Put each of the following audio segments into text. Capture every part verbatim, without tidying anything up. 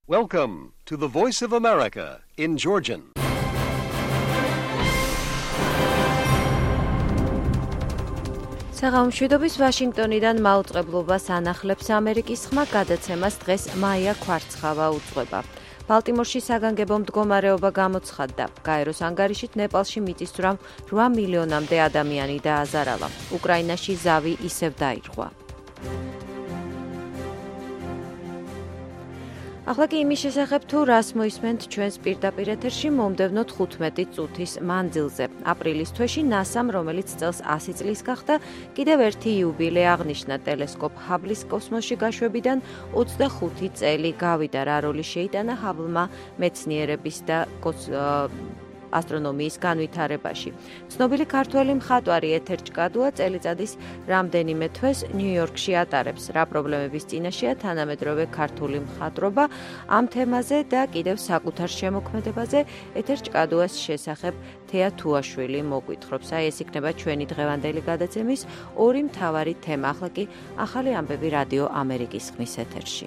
Welcome to the Voice of America in Georgian. საღამოშვიდობის ვაშინგტონიდან მაუწყებლობას ანახლებს ამერიკის ხმა გადაცემას დღეს მაია ქვარცხავა უძღვება. ბალტიმორში საგანგებო მდგომარეობა გამოცხადდა. გაეროს ანგარიშით ნეპალში მიწისძვრამ რვა მილიონამდე ადამიანი დააზარალა. უკრაინაში ზავი ისევ დაირღვა. ახლა კი იმის შესახებ თუ რას მოისმენთ ჩვენს პირდაპირ ეთერში მომდევნო თხუთმეტი წუთის მანძილზე. აპრილის თვეში ნასამ, რომელიც წელს ასი წლის გახდა, კიდევ ერთი იუბილე აღნიშნა. ტელესკოპ ჰაბლის კოსმოსში გაშვებიდან ოცდახუთი წელი გავიდა. რა როლი შეიტანა ჰაბლმა მეცნიერების და ასტრონომიის განვითარებაში. ცნობილი ქართველი მხატვარი ეთერ ჭკადუა წელიწადის რამდენიმე თვეს ნიუ-იორკში ატარებს. რა პრობლემების წინაშეა თანამედროვე ქართული მხატვრობა? ამ თემაზე და კიდევ საკუთარ შემოქმედებაზე ეთერ ჭკადუას შესახებ თეა თუაშვილი მოგვითხრობს. აი ეს იქნება ჩვენი დღევანდელი გადაცემის ორი მთავარი თემა. ახლა კი ახალი ამბები რადიო ამერიკის ხმის ეთერში.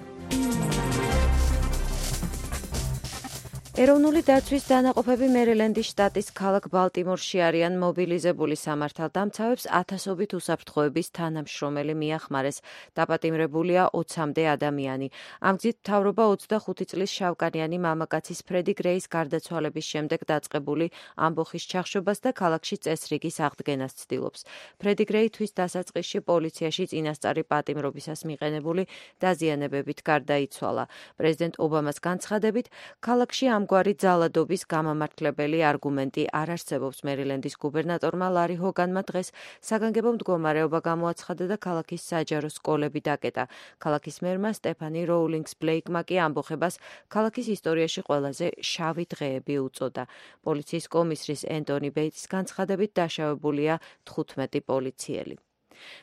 ეროვნული დაცვის დანაყოფები მერილენდის შტატის ქალაქ ბალტიმორში არიან მობილიზებული სამართალდამცავებს ათასობით უსაფრთხოების თანამშრომელი მიახმარეს. დაპატიმრებულია ოცამდე ადამიანი. ამ გზით მთავრობა ოცდახუთი წლის შავკანიანი მამაკაცის ფრედი გრეის გარდაცვალების შემდეგ დაწყებული ამბოხის ჩახშობას და ქალაქში წესრიგის აღდგენას ცდილობს. ფრედი გრეი თვის დასაწყისში პოლიციაში წინასწარი პატიმრობისას მიყენებული დაზიანებებით გარდაიცვალა. პრეზიდენტ ობამას განცხადებით, ქალაქში ამ გვარი ძალადობის გამამართლებელი არგუმენტი არ არსებობს. მერილენდის გუბერნატორმა ლარი ჰოგანმა დღეს საგანგებო მდგომარეობა გამოაცხადა და ქალაქის საჯარო სკოლები დაკეტა. ქალაქის მერმა სტეფანი როულინგს ბლეიკმა კი ამბოხებას ქალაქის ისტორიაში ყველაზე შავი დღეები უწოდა. პოლიციის კომისრის ენტონი ბეიტის განცხადებით დაშავებულია თხუთმეტი პოლიციელი.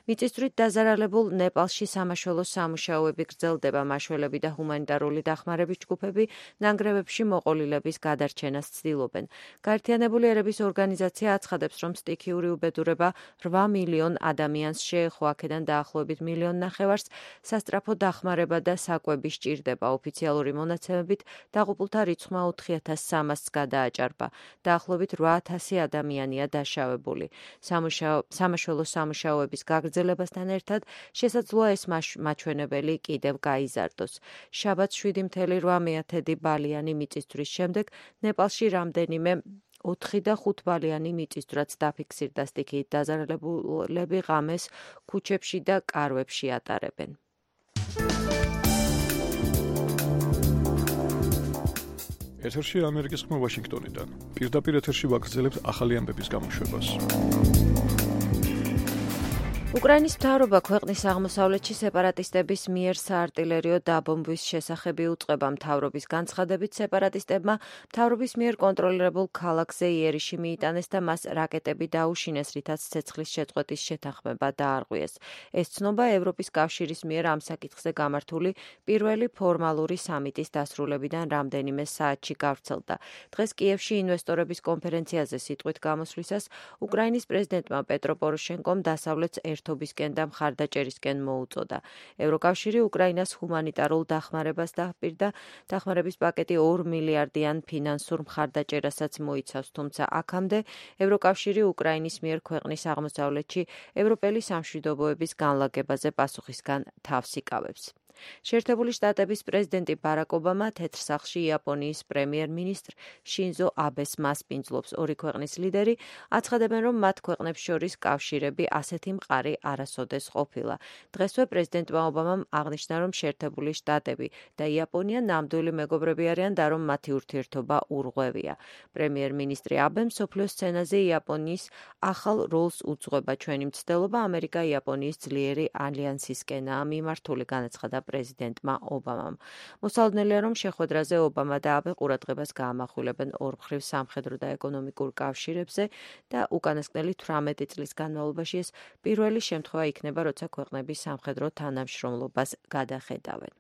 მიწისძვრით დაზარალებულ ნეპალში სამაშველო სამუშაოები გრძელდება. მაშველები და ჰუმანიტარული დახმარების ჯგუფები ნანგრევებში მოყოლილების გადარჩენას ცდილობენ. გაერთიანებული ერების ორგანიზაცია აცხადებს, რომ სტიქიური უბედურება რვა მილიონ ადამიანს შეეხო. აქედან დაახლოებით მილიონ ნახევარს სასწრაფო დახმარება და საკვები სჭირდება. ოფიციალური მონაცემებით დაღუპულთა რიცხვმა ოთხი ათას სამასს გადააჭარბა. დაახლოებით რვა ათასი ადამიანია დაშავებული. სამაშველო სამუშაოების გაგრძელებასთან ერთად შესაძლოა ეს მაჩვენებელი კიდევ გაიზარდოს. შაბათს შვიდი მთელი რვა მეათედი ბალიანი მიწისძვრის შემდეგ ნეპალში რამდენიმე ოთხი და ხუთ ბალიანი მიწისძვრაც დაფიქსირდა. სტიქიით დაზარალებულები ღამეს ქუჩებში და კარვებში ატარებენ. ეთერში ამერიკის ხმა ვაშინგტონიდან. პირდაპირ ეთერში ვაგრძელებთ ახალი ამბების გამოშვებას. უკრაინის მთავრობა ქვეყნის აღმოსავლეთში სეპარატისტების მიერ საარტილერიო დაბომბვის შესახები უწყება. მთავრობის განცხადებით, სეპარატისტებმა მთავრობის მიერ კონტროლირებულ ქალაქზე იერიში მიიტანეს და მას რაკეტები დაუშინეს, რითაც ცეცხლის შეწყვეტის შეთანხმება დაარღვიეს. ეს ცნობა ევროპის კავშირის მიერ ამ საკითხზე გამართული პირველი ფორმალური სამიტის დასრულებიდან რამდენიმე საათში გავრცელდა. დღეს კიევში ინვესტორების კონფერენციაზე სიტყვით გამოსვლისას უკრაინის პრეზიდენტმა პეტრო პოროშენკომ დასავლეთს ერთობისკენ და მხარდაჭერისკენ მოუწოდა. ევროკავშირი უკრაინას ჰუმანიტარულ დახმარებას დაჰპირდა. დახმარების პაკეტი ორ მილიარდიან ფინანსურ მხარდაჭერასაც მოიცავს, თუმცა აქამდე ევროკავშირი უკრაინის მიერ ქვეყნის აღმოსავლეთში ევროპელი სამშვიდობოების განლაგებაზე პასუხისგან თავს იკავებს. შეერთებული შტატების პრეზიდენტი ბარაკ ობამა თეთრ სახლში იაპონიის პრემიერ-მინისტრ შინზო აბეს მასპინძლობს. ორი ქვეყნის ლიდერი აცხადებენ, რომ მათ ქვეყნებს შორის კავშირები ასეთი მყარი არასოდეს ყოფილა. დღესვე პრეზიდენტმა ობამამ აღნიშნა, რომ შეერთებული შტატები და იაპონია ნამდვილი მეგობრები არიან და რომ მათი ურთიერთობა ურღვევია. პრემიერ-მინისტრი აბემ მსოფლიო სცენაზე იაპონიის ახალ როლს უძღვება. ჩვენი მცდელობა ამერიკა-იაპონიის ძლიერი ალიანსისკენაა მიმართული, განაცხადა პრეზიდენტმა ობამამ. მოსალოდნელია, რომ შეხვედრაზე ობამა და აბე ყურადღებას გაამახვილებენ ორმხრივ სამხედრო და ეკონომიკურ კავშირებზე და უკანასკნელი თვრამეტი წლის განმავლობაში ეს პირველი შემთხვევა იქნება, როცა ქვეყნები სამხედრო თანამშრომლობას გადახედავენ.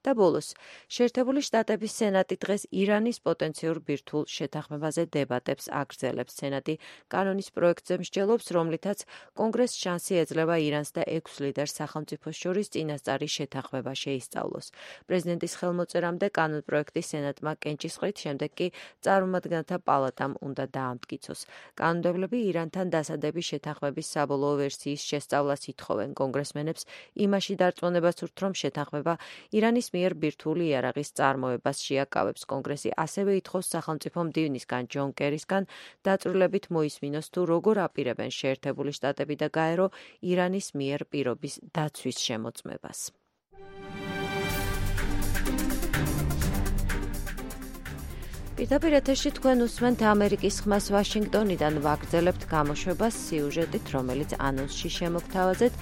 და ბოლოს, შეერთებული შტატების სენატი დღეს ირანის პოტენციურ ბირთვულ შეთანხმებაზე დებატებს აგრძელებს. სენატი კანონის პროექტზე მსჯელობს, რომლითაც კონგრესს შანსი ეძლევა ირანს და ექვს ლიდერს სახელმწიფოს შორის წინასწარი შეთანხმება შეისწავლოს. პრეზიდენტის ხელმოწერამდე კანონპროექტი სენატმა კენჭისყრით, შემდეგ კი წარმომადგენელთა პალატამ უნდა დაამტკიცოს. კანონმდებლები ირანთან დასადების შეთანხმების საბოლოო ვერსიის შესწავლას ითხოვენ. კონგრესმენებს იმაში დარწმუნებას სურთ, რომ შეთანხმება ირანის მიერ ბირთვული იარაღის წარმოებას შეაკავებს. კონგრესი ასევე ითხოვს სახელმწიფო მდივნისგან ჯონ კერისგან დაწვრილებით მოისმინოს თუ როგორ აპირებენ შეერთებული შტატები და გაერო ირანის მიერ პირობის დაცვის შემოწმებას. პირდაპირ ეთერში თქვენ უსმენთ ამერიკის ხმას ვაშინგტონიდან ვაგრძელებთ გამოშვებას სიუჟეტით, რომელიც ანონსში შემოგთავაზეთ.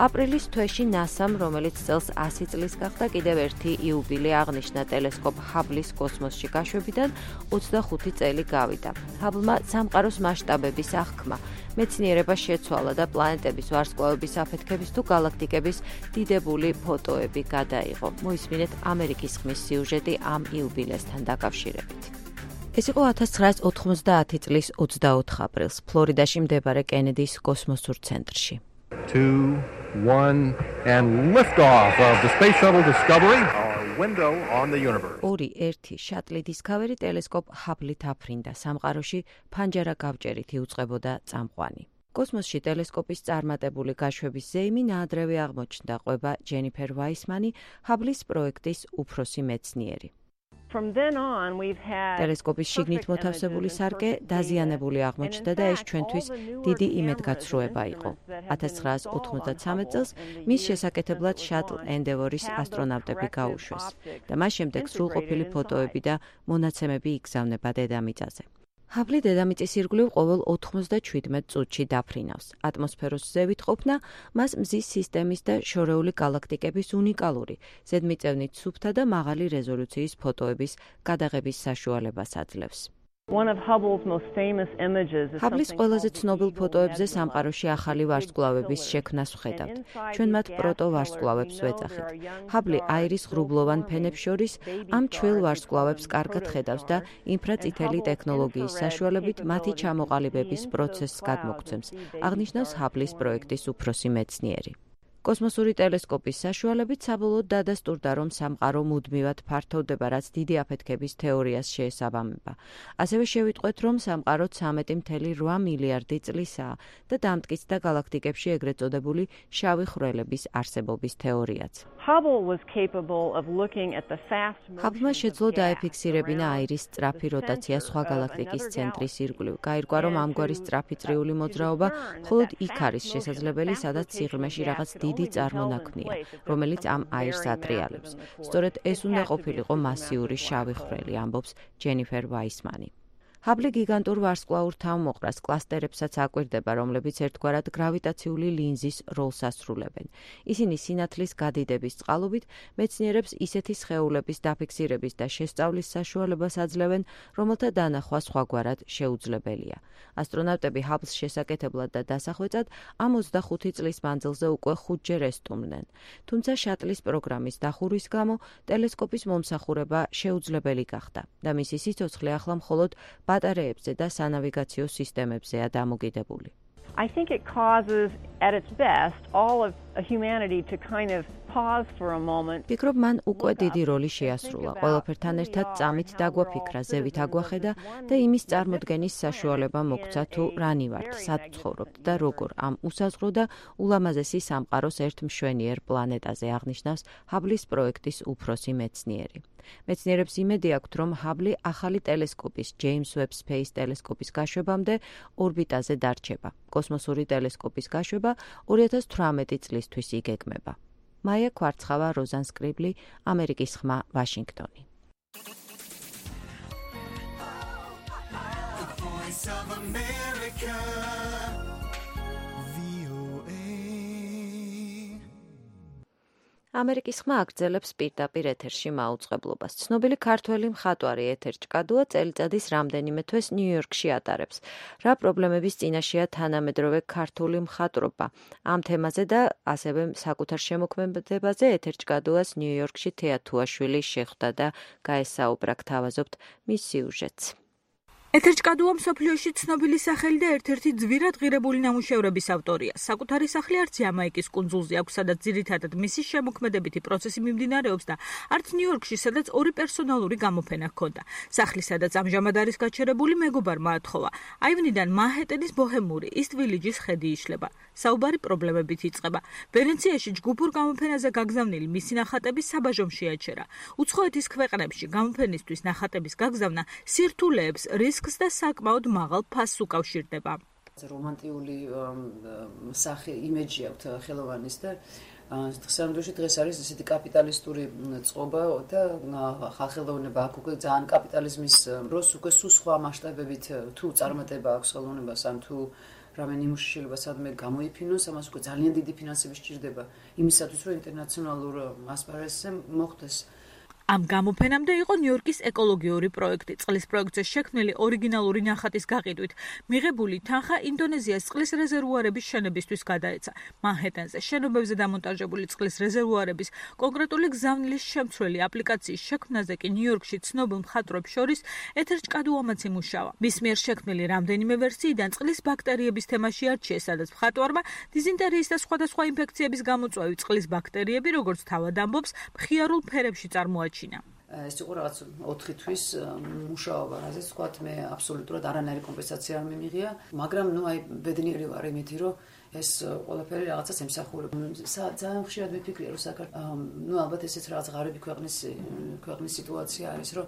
აპრილის თვეში ნასამ, რომელიც წელს ასი წლის გახდა, კიდევ ერთი იუბილე აღნიშნა ტელესკოპ ჰაბლის კოსმოსში გაშვებიდან ოცდახუთი წელი გავიდა. ჰაბლმა სამყაროს მასშტაბების აღქმა, მეცნიერება შეცვალა და პლანეტების ვარსკვლავების აფეთქების თუ galaktikების დიდებული ფოტოები გადაიღო. მოისმინეთ ამერიკის ხმის სიუჟეტი ამ იუბილესთან დაკავშირებით. ეს იყო ათას ცხრაას ოთხმოცდაათი წლის ოცდაოთხ აპრილს, ფლორიდაში მდებარე კენედის კოსმოსურ ცენტრში. two, one, and liftoff of the Space Shuttle Discovery, our window on the universe. ორი, ერთი, შატლი დისკავერი ტელესკოპ ჰაბლით აფრინდა. სამყაროში ფანჯარა გავჭერით იუწყებოდა წამყვანი. კოსმოსში ტელესკოპის წარმატებული გაშვების ზეიმი ნაადრევი აღმოჩნდა, ყვება ჯენიფერ ვაისმანი, ჰაბლის პროექტის უფროსი მეცნიერი. ტელესკოპის შიგნით მოთავსებული სარკე დაზიანებული აღმოჩნდა და ეს ჩვენთვის დიდი იმედგაცრუება იყო. ათას ცხრაას ოთხმოცდათრამეტ წელს მის შესაკეთებლად შატლ ენდევორის ასტრონავტები გაუშვეს და მას შემდეგ სრულყოფილი ფოტოები და მონაცემები იგზავნება დედამიწაზე. ჰაბლი დედამიწის ირგვლივ ყოველ ოთხმოცდაჩვიდმეტ წუთში დაფრინავს. ატმოსფეროს ზევით ყოფნა მას მზის სისტემის და შორეული galaktikების უნიკალური, ზედმიწევნით სუფთა და მაღალი რეზოლუციის ფოტოების გადაღების საშუალებას აძლევს. ჰაბლის ყველაზე ცნობილ ფოტოებზე სამყაროში ახალი ვარსკვლავების შექმნას ვხედავთ. ჩვენ მათ პროტოვარსკვლავებს ვეძახით. ჰაბლი აირის ღრუბლოვან ფენებს შორის ამ ჩვეულ ვარსკვლავებს კარგად ხედავს და ინფრაწითელი ტექნოლოგიის საშუალებით მათი ჩამოყალიბების პროცესს გადმოგცემს, აღნიშნავს ჰაბლის პროექტის უფროსი მეცნიერი. კოსმოსური ტელესკოპის საშუალებით საბოლოოდ დადასტურდა, რომ სამყარო მუდმივად ფართოვდება, რაც დიდი აფეთქების თეორიას შეესაბამება. ასევე შევიტყვეთ, რომ სამყარო ცამეტი მცდე რვა მილიარდი წლისაა და დამტკიცდა galaktikებში ეგრეთ წოდებული შავი ხვრელების არსებობის თეორიაც. ჰაბლმა შეძლო დაეფიქსირებინა აირის სწრაფი როტაცია სხვა galaktikis ცენტრის ირგვლივ. გაირკვა, რომ ამგვარი სწრაფი წრიული მოძრაობა მხოლოდ იქ არის შესაძლებელი, სადაც სიღრმეში რაღაც დიდი წარმონაქმნია, რომელიც ამ აირს ატრიალებს. სწორედ ეს უნდა ყოფილიყო მასიური შავი ხვრელი, ამბობს ჯენიფერ ვაისმანი. ჰაბლი გიგანტურ ვარსკვლავურ თავმოყრას კლასტერებსაც აკვირდება, რომლებიც ერთგვარად გრავიტაციული ლინზის როლს ასრულებენ. ისინი სინათლის გადიდების წყალობით მეცნიერებს ისეთი სხეულების დაფიქსირების და შესწავლის საშუალებას აძლევენ, რომელთა დანახვა სხვაგვარად შეუძლებელია. ასტრონავტები ჰაბლს შესაკეთებლად და დასახვეწად ამ ოცდახუთი წლის მანძილზე უკვე ხუთჯერ ესტუმრნენ. თუმცა შატლის პროგრამის დახურვის გამო ტელესკოპის მომსახურება შეუძლებელი გახდა და მისი სიცოცხლე ახლა მხოლოდ ბატარეებზე და სანავიგაციო სისტემებზეა დამოკიდებული. I think it causes at its best all of humanity to kind of pause for a moment. ფიქრობ, მან უკვე დიდი როლი შეასრულა. ყველაფერთან ერთად წამით დაგვაფიქრა, ზევით აგვახედა და იმის წარმოდგენის საშუალება მოგცა თუ რანი ვართ, სად ცხოვრობთ და როგორ ამ უსაზღრო და ულამაზესი სამყაროს ერთ მშვენიერ პლანეტაზე, აღნიშნავს ჰაბლის პროექტის უფროსი მეცნიერი. მეცნიერებს იმედი აქვთ, რომ ჰაბლი ახალი ტელესკოპის, ჯეიმს ვებ სპეის ტელესკოპის გაშვებამდე ორბიტაზე დარჩება. კოსმოსური ტელესკოპის გაშვება ორი ათას თვრამეტი წლისთვის იგეგმება. მაია კვარცხავა, როზან სკრიბლი, ამერიკის ხმა, ვაშინგტონი. ამერიკის ხმა აგრძელებს პირდაპირ ეთერში მაუწყებლობას. ცნობილი ქართველი მხატვარი ეთერ ჭკადუა წელიწადის რამდენიმე თვეს ნიუ-იორკში ატარებს. რა პრობლემების წინაშეა თანამედროვე ქართული მხატვრობა? ამ თემაზე და ასევე საკუთარ შემოქმედებაზე ეთერ ჭკადუას ნიუ-იორკში თეა თუაშვილი შეხვდა და გაესაუბრა. გთავაზობთ მის სიუჟეტს. ეთერ ჭკადუა მსოფლიოში ცნობილი სახელი და ერთ-ერთი ძვირად ღირებული ნამუშევრების ავტორია. საკუთარი სახლი არც იამაიკის კუნძულზე აქვს, სადაც ძირითადად მისი შემოქმედებითი პროცესი მიმდინარეობს და არც ნიუ-იორკში, სადაც ორი პერსონალური გამოფენა ჰქონდა. სახლი, სადაც ამჟამად არის გაჩერებული, მეგობარმა ათხოვა. აივნიდან მანჰეტენის ბოჰემური ისტ ვილიჯის ხედი იშლება. საუბარი პრობლემებით იწყება. ვენეციაში ჯგუფურ გამოფენაზე გაგზავნილი მისი ნახატები საბაჟომ შეაჩერა. უცხოეთის ქვეყნებში გამოფენისთვის ნახატების გაგზავნა სირთულეებს, რისკს და საკმაოდ მაღალ ფასს უკავშირდება. რომანტიული სახე იმეჯი აქვს ხელოვანის და დღესამდღეში დღეს არის ესეთი კაპიტალისტური წყობა და ხალხელოვნება აქ უკვე ძალიან კაპიტალიზმის დროს უკვე სულ სხვა მასშტაბებით თუ წარმატება აქვს ხელოვნებას ან თუ რამე ნიმუში შეიძლება სადმე გამოიფინოს, ამას უკვე ძალიან დიდი ფინანსები სჭირდება იმისათვის, რომ ინტერნაციონალურ ასპარეზზე მოხვდეს. ამ გამოფენამდე იყო ნიუ-იორკის ეკოლოგიური პროექტი. წყლის პროექტზე შექმნილი ორიგინალური ნახატის გაყიდვით მიღებული თანხა ინდონეზიას წყლის რეზერვუარების შენებისთვის გადაეცა. მანჰეტენზე შენობებზე დამონტაჟებული წყლის რეზერვუარების კონკრეტული გზავნილის შემცვლელი აპლიკაციის შექმნაზე კი ნიუ-იორკში ცნობილ მხატვრებს შორის ეთერ ჭკადუამაც იმუშავა. მის მიერ შექმნილი რამდენიმე ვერსიიდან წყლის ბაქტერიების თემაში არჩიეს, სადაც მხატვარმა დიზინტერიის და სხვადასხვა ინფექციების გამოწვევი წყლის ბაქტერიები, როგორც თავად ამბობს, მხიარულ ფერებში წარმოაჩინა. ეს იყო რაღაც ოთხი თვის მუშაობა, რაზეც ვთქვათ, მე აბსოლუტურად არანაირი კომპენსაცია არ მიმიღია, მაგრამ ნუ აი ბედნიერი ვარ იმითი, რომ ეს ყველაფერი რაღაცას ემსახურება. ძალიან ხშირად ვიფიქრე, რომ საქართველოს ნუ ალბათ ესეც რაღაც ღარიბი ქვეყნის ქვეყნის სიტუაცია არის, რომ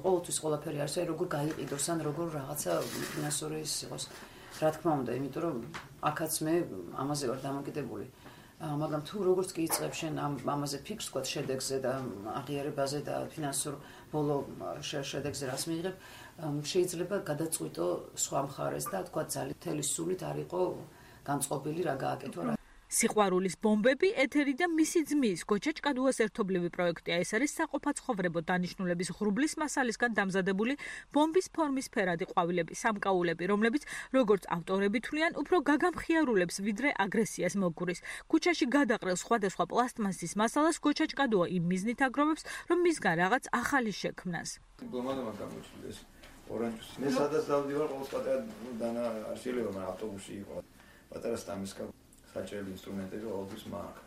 ყოველთვის ყველაფერი არის, აი როგორ გაიყიდოს ან როგორ რაღაცა ფინანსური ის იყოს. რა თქმა უნდა, იმიტომ რომ აქაც მე ამაზე ვარ დამოკიდებული. მაგრამ თუ როგორც კი იწყებ შენ ამ ამაზე ფიქრს ვთქვათ შედეგზე და აღიარებაზე და ფინანსურ ბოლო შედეგზე რას მიიღებ, შეიძლება გადაწყვიტო სხვა მხარეს და თქვა ძალიან თელი სულით არ იყო განწყობილი რა გააკეთო რა. სიყვარულის ბომბები ეთერი და მისი ძმის გოჩა ჭკადუას ერთობლივი პროექტია. ეს არის საყოფაცხოვრებო დანიშნულების ღრუბლის მასალისგან დამზადებული ბომბის ფორმის ფერადი ყვავილები, სამკაულები, რომლებიც როგორც ავტორები თვლიან, უფრო გაგამხიარულებს ვიდრე აგრესიას მოგურის. ქუჩაში გადაყრილ სხვადასხვა პლასტმასის მასალას გოჩა ჭკადუა იმ მიზნით აგროვებს, რომ მისგან რაღაც ახალი შექმნას. ბლომადმა გამოჩნდეს ორანჟის. მე სადაც დავდივარ, ყოველ პატარა დანა არ შეიძლება, მაგრამ ავტობუსი იყო. პატარა სტამისკა საჭირო ინსტრუმენტები ყოველთვის მაქვს.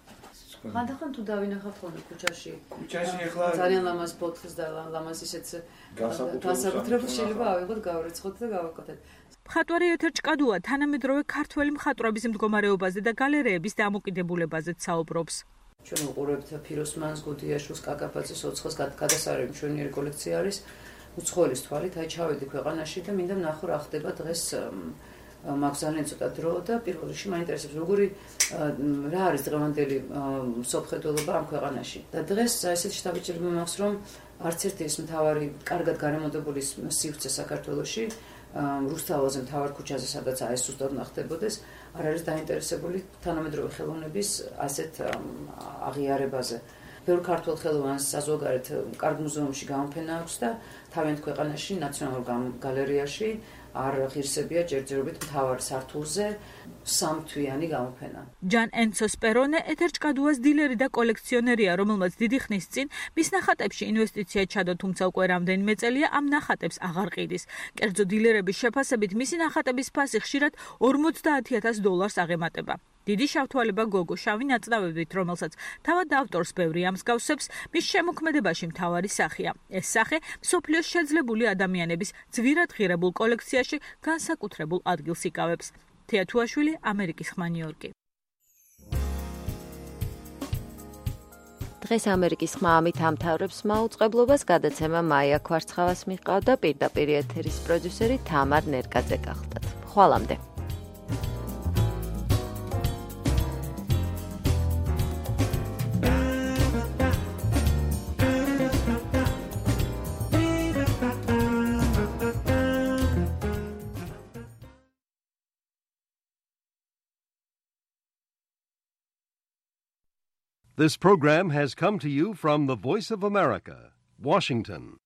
ხანდახან თუ დავინახავ ხოლმე ქუჩაში. ქუჩაში ახლა ძალიან ლამაზ ბოთლს და ლამაზ ისეც განსაკუთრებულ შეიძლება ავიღოთ, გავრიცხოთ და გავაკეთოთ. მხატვარი ეთერ ჭკადუა თანამედროვე ქართველი მხატვრების მდგომარეობაზე და გალერეების დამოკიდებულებაზეც საუბრობს. ჩვენ ვუყურებთ ფიროსმანს, გუდიაშვილს, კაკაბაძის, ოცხოს გადასარევი მშვენიერი კოლექცია არის. უცხოელის თვალით აი ჩავედი ქვეყანაში და მინდა ვნახო რა ხდება დღეს. მაქვს ძალიან ცოტა დრო და პირველ რიგში მაინტერესებს როგორი რა არის დღევანდელი სოფხედელობა ამ ქვეყანაში. და დღეს ესეთი შთაბეჭდილება მაქვს, რომ არც ერთი ის მთავარი კარგად გარემონტებული სივრცე საქართველოში, რუსთაველზე მთავარ ქუჩაზე, სადაც აი ეს ზუსტად ნახდებოდეს, არ არის დაინტერესებული თანამედროვე ხელოვნების ასეთ აღიარებაზე. ბევრ ქართველ ხელოვანს საზოგადოებრივ კარგ მუზეუმში გამოფენა აქვს და თავიანთ ქვეყანაში ნაციონალურ გალერეაში არ ღირსებია ჯერჯერობით მთავარ სართულზე სამთვიანი გამოფენა. ჯან ენცო სპერონე ეთერ ჭკადუას დილერი და კოლექციონერია, რომელმაც დიდი ხნის წინ მის ნახატებში ინვესტიცია ჩადო, თუმცა უკვე რამდენიმე წელია ამ ნახატებს აღარ ყიდის. კერძო დილერების შეფასებით მისი ნახატების ფასი ხშირად ორმოცდაათი ათას დოლარს აღემატება. დიდი შავთვალება გოგო შავი ნაწლავებით, რომელსაც თავად ავტორს ბევრი ამსგავსებს, მის შემოქმედებაში მთავარი სახეა. ეს სახე მსოფლიოს შეძლებული ადამიანების ძვირად ღირებულ კოლექციაში განსაკუთრებულ ადგილს იკავებს. თეა თუაშვილი, ამერიკის ხმა, ნიუ-იორკი. დღეს ამერიკის ხმა ამით ამთავრებს მაუწყებლობას. გადაცემა მაია ქვარცხავას მიჰყავდა, პირდაპირ ეთერის პროდიუსერი თამარ ნერკაძე გახლდათ. ხვალამდე. This program has come to you from the Voice of America, Washington.